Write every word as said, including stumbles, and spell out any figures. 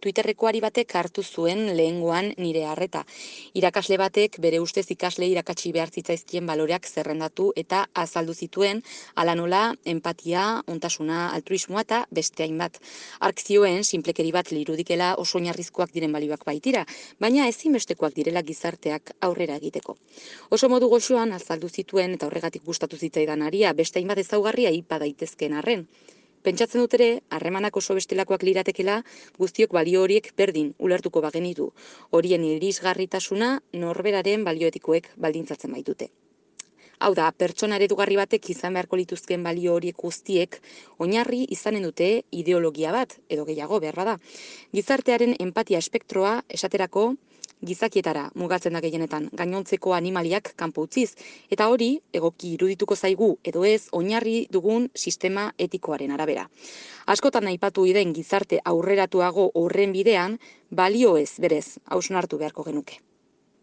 Twitterreko ari batek hartu zuen lehengoan nire harreta. Irakasle batek bere ustez ikasle irakatsi behar zitzaizkien baloreak zerrendatu eta azaldu zituen, hala nola, empatia, ontasuna, altruismoa eta beste hainbat. Hark zioen, sinplekeri bat lirudikela oso oinarrizkoak diren balioak baitira, baina ezinbestekoak direla gizarteak aurrera egiteko. Oso modu goxoan azaldu zituen eta horregatik gustatu zitzaidan aria, beste hainbat ezaugarria aipa daitezkeen arren. Pentsatzen dut ere, harremanak oso bestelakoak liratekela, guztiok balio horiek berdin ulertuko bagenitu. Horien irisgarritasuna norberaren balioetikoek baldintzatzen baitute. Hau da, pertsona eredugarri batek izan beharko lituzken balio horiek guztiek oinarri izanen dute ideologia bat, edo gehiago beharra da. Gizartearen empatia espektroa esaterako gizakietara mugatzen da gehienetan, gainontzeko animaliak kanpo utziz, eta hori egoki irudituko zaigu edo ez oinarri dugun sistema etikoaren arabera. Askotan aipatu den gizarte aurreratuago horren bidean, balio ez berez hausnartu beharko genuke.